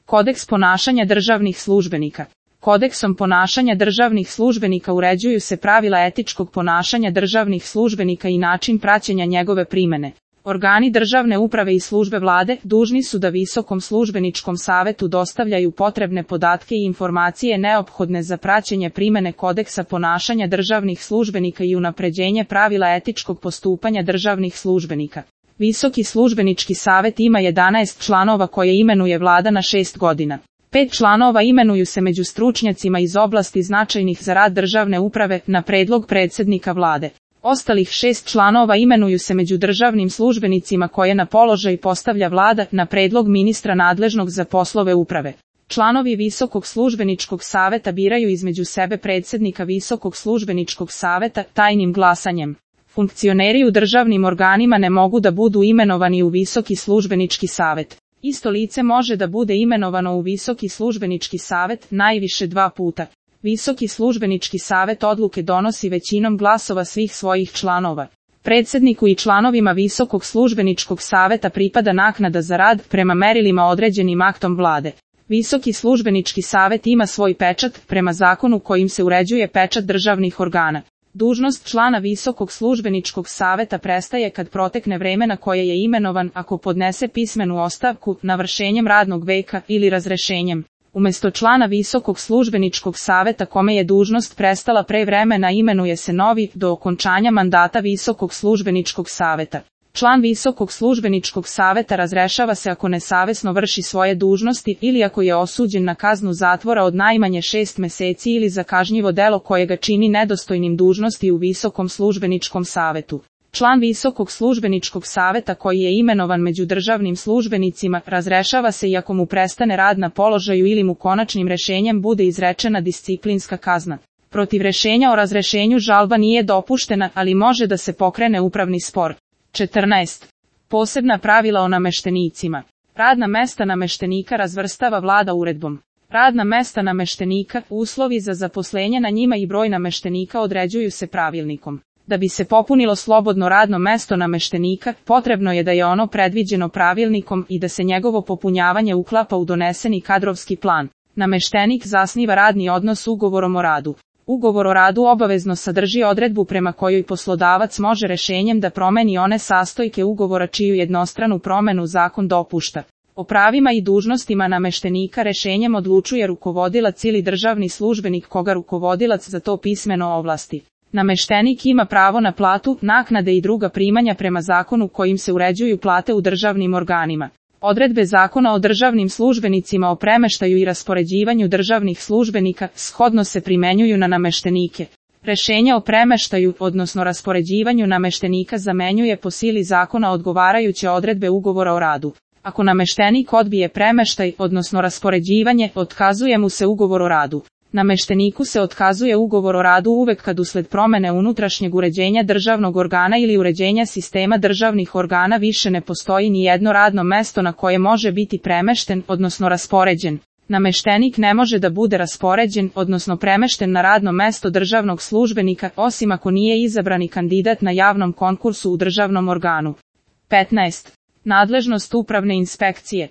Kodeks ponašanja državnih službenika. Kodeksom ponašanja državnih službenika uređuju se pravila etičkog ponašanja državnih službenika i način praćenja njegove primene. Organi državne uprave i službe vlade dužni su da Visokom službeničkom savetu dostavljaju potrebne podatke i informacije neophodne za praćenje primene kodeksa ponašanja državnih službenika i unapređenje pravila etičkog postupanja državnih službenika. Visoki službenički savet ima 11 članova koje imenuje vlada na 6 godina. 5 članova imenuju se među stručnjacima iz oblasti značajnih za rad državne uprave na predlog predsjednika vlade. Ostalih 6 članova imenuju se među državnim službenicima koje na položaj postavlja vlada na predlog ministra nadležnog za poslove uprave. Članovi Visokog službeničkog saveta biraju između sebe predsjednika Visokog službeničkog saveta tajnim glasanjem. Funkcioneri u državnim organima ne mogu da budu imenovani u Visoki službenički savet. Isto lice može da bude imenovano u Visoki službenički savet najviše 2 puta. Visoki službenički savet odluke donosi većinom glasova svih svojih članova. Predsjedniku i članovima Visokog službeničkog saveta pripada naknada za rad prema merilima određenim aktom vlade. Visoki službenički savet ima svoj pečat prema zakonu kojim se uređuje pečat državnih organa. Dužnost člana Visokog službeničkog saveta prestaje kad protekne vreme na koje je imenovan ako podnese pismenu ostavku, navršenjem radnog veka ili razrešenjem. Umjesto člana Visokog službeničkog saveta kome je dužnost prestala pre vremena imenuje se novi do okončanja mandata Visokog službeničkog saveta. Član Visokog službeničkog saveta razrešava se ako nesavesno vrši svoje dužnosti ili ako je osuđen na kaznu zatvora od najmanje 6 meseci ili za kažnjivo delo koje ga čini nedostojnim dužnosti u Visokom službeničkom savetu. Član Visokog službeničkog saveta koji je imenovan među državnim službenicima razrešava se i ako mu prestane rad na položaju ili mu konačnim rešenjem bude izrečena disciplinska kazna. Protiv rešenja o razrešenju žalba nije dopuštena, ali može da se pokrene upravni spor. 14. Posebna pravila o nameštenicima. Radna mesta nameštenika razvrstava vlada uredbom. Radna mesta nameštenika, uslovi za zaposlenje na njima i broj nameštenika određuju se pravilnikom. Da bi se popunilo slobodno radno mesto nameštenika, potrebno je da je ono predviđeno pravilnikom i da se njegovo popunjavanje uklapa u doneseni kadrovski plan. Nameštenik zasniva radni odnos ugovorom o radu. Ugovor o radu obavezno sadrži odredbu prema kojoj poslodavac može rešenjem da promeni one sastojke ugovora čiju jednostranu promenu zakon dopušta. O pravima i dužnostima nameštenika rešenjem odlučuje rukovodilac ili državni službenik koga rukovodilac za to pismeno ovlasti. Nameštenik ima pravo na platu, naknade i druga primanja prema zakonu kojim se uređuju plate u državnim organima. Odredbe Zakona o državnim službenicima o premeštaju i raspoređivanju državnih službenika shodno se primenjuju na nameštenike. Rešenja o premeštaju, odnosno raspoređivanju nameštenika zamenjuje po sili zakona odgovarajuće odredbe ugovora o radu. Ako nameštenik odbije premeštaj, odnosno raspoređivanje, otkazuje mu se ugovor o radu. Namešteniku se otkazuje ugovor o radu uvek kad usled promene unutrašnjeg uređenja državnog organa ili uređenja sistema državnih organa više ne postoji ni jedno radno mesto na koje može biti premešten, odnosno raspoređen. Nameštenik ne može da bude raspoređen, odnosno premešten na radno mesto državnog službenika, osim ako nije izabrani kandidat na javnom konkursu u državnom organu. 15. Nadležnost upravne inspekcije.